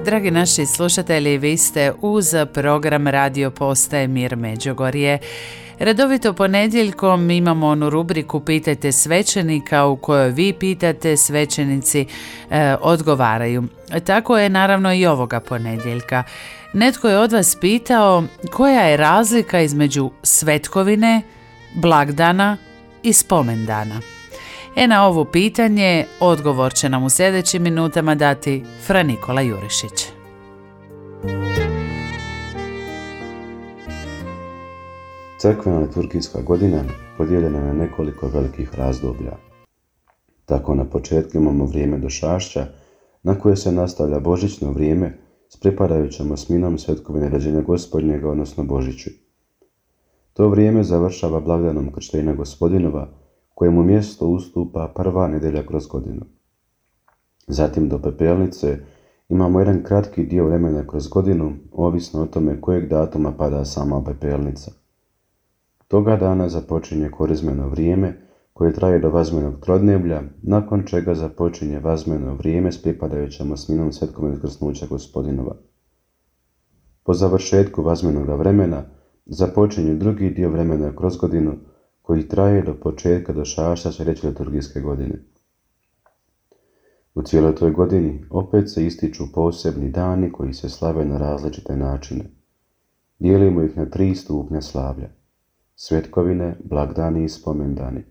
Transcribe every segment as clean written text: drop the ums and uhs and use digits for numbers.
Dragi naši slušatelji, vi ste uz program Radio Postaje Mir Međugorje. Redovito ponedjeljkom imamo onu rubriku Pitajte svećenika u kojoj vi pitate, svećenici odgovaraju. Tako je naravno i ovoga ponedjeljka. Netko je od vas pitao koja je razlika između svetkovine, blagdana i spomendana. Na ovo pitanje odgovor će nam u sljedećim minutama dati Fra Nikola Jurišić. Crkvena liturgijska godina podijeljena je na nekoliko velikih razdoblja. Tako na početku imamo vrijeme došašća, na koje se nastavlja božićno vrijeme s pripadajućom osminom svetkovine rođenja Gospodnjega, odnosno Božiću. To vrijeme završava blagdanom Krštenja Gospodinova, kojemu mjesto ustupa prva nedjelja kroz godinu. Zatim do Pepelnice imamo jedan kratki dio vremena kroz godinu, ovisno o tome kojeg datuma pada sama Pepelnica. Toga dana započinje korizmeno vrijeme koje traje do Vazmenog trodneblja, nakon čega započinje Vazmeno vrijeme s pripadajućom osminom svetkovine Krsnuća Gospodinova. Po završetku Vazmenoga vremena započinje drugi dio vremena kroz godinu koji traje do početka došašća sljedeće liturgijske godine. U cijeloj toj godini opet se ističu posebni dani koji se slave na različite načine. Dijelimo ih na 3 stupnja slavlja: svetkovine, blagdani i spomendani.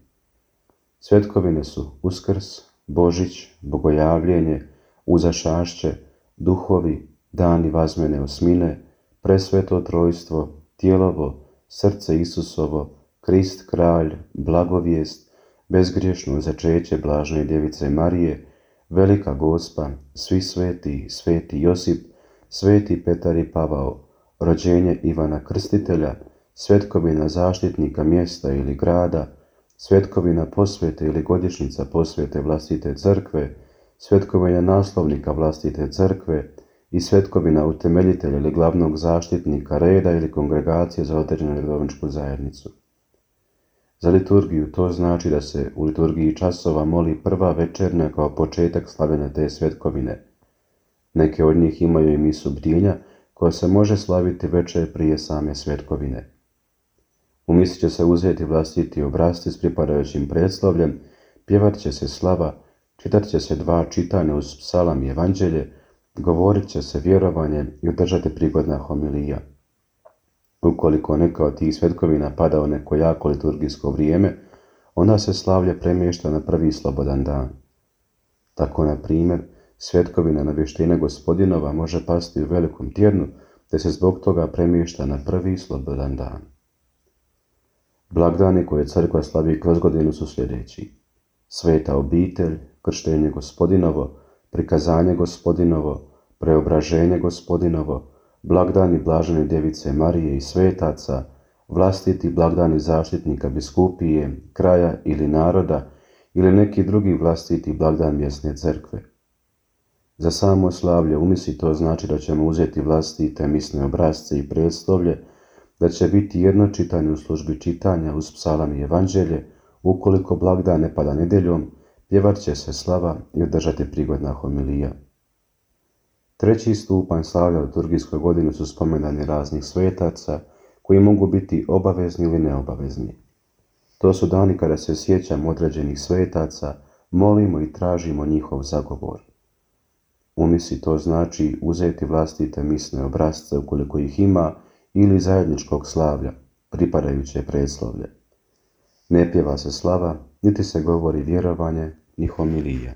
Svetkovine su Uskrs, Božić, Bogojavljenje, Uzašašće, Duhovi, dani Vazmene osmine, Presveto trojstvo, Tijelovo, Srce Isusovo, Krist kralj, Blagovijest, Bezgriješno začeće Blažene Djevice Marije, Velika Gospa, Svi sveti, Sveti Josip, Sveti Petar i Pavao, rođenje Ivana Krstitelja, svetkovina zaštitnika mjesta ili grada, svetkovina posvete ili godišnjica posvete vlastite crkve, svetkovina naslovnika vlastite crkve i svetkovina utemeljitelja ili glavnog zaštitnika reda ili kongregacije za određenu redovničku zajednicu. Za liturgiju to znači da se u liturgiji časova moli prva večernja kao početak slavljenja te svetkovine. Neke od njih imaju i misu bdjenja koja se može slaviti večer prije same svetkovine. U misi će se uzeti vlastiti obrasci s pripadajućim predslovljem, pjevat će se slava, čitat će se 2 čitanja uz psalam i evanđelje, govorit će se vjerovanje i održati prigodna homilija. Ukoliko neka od tih svetkovina pada u neko jako liturgijsko vrijeme, onda se slavlje premješta na prvi slobodan dan. Tako, na primjer, svetkovina Navještenja Gospodinova može pasti u velikom tjednu, te se zbog toga premješta na prvi slobodan dan. Blagdani koje crkva slavi kroz godinu su sljedeći: Sveta obitelj, Krštenje Gospodinovo, Prikazanje Gospodinovo, Preobraženje Gospodinovo, blagdani Blažene Djevice Marije i svetaca, vlastiti blagdani zaštitnika biskupije, kraja ili naroda ili neki drugi vlastiti blagdan mjesne crkve. Za samo slavlje u misi to znači da ćemo uzeti vlastite misne obrasce i predslovlje, da će biti jedno čitanje u službi čitanja uz psalam i evanđelje, ukoliko blagdan ne pada nedjeljom, pjevat će se slava i održati prigodna homilija. Treći stupanj slavlja u liturgijskoj godini su spomendani raznih svetaca koji mogu biti obavezni ili neobavezni. To su dani kada se sjećamo određenih svetaca, molimo i tražimo njihov zagovor. U misi to znači uzeti vlastite misne obrasce ukoliko ih ima ili zajedničkog slavlja, pripadajuće predslovlje. Ne pjeva se slava, niti se govori vjerovanje, ni homilija.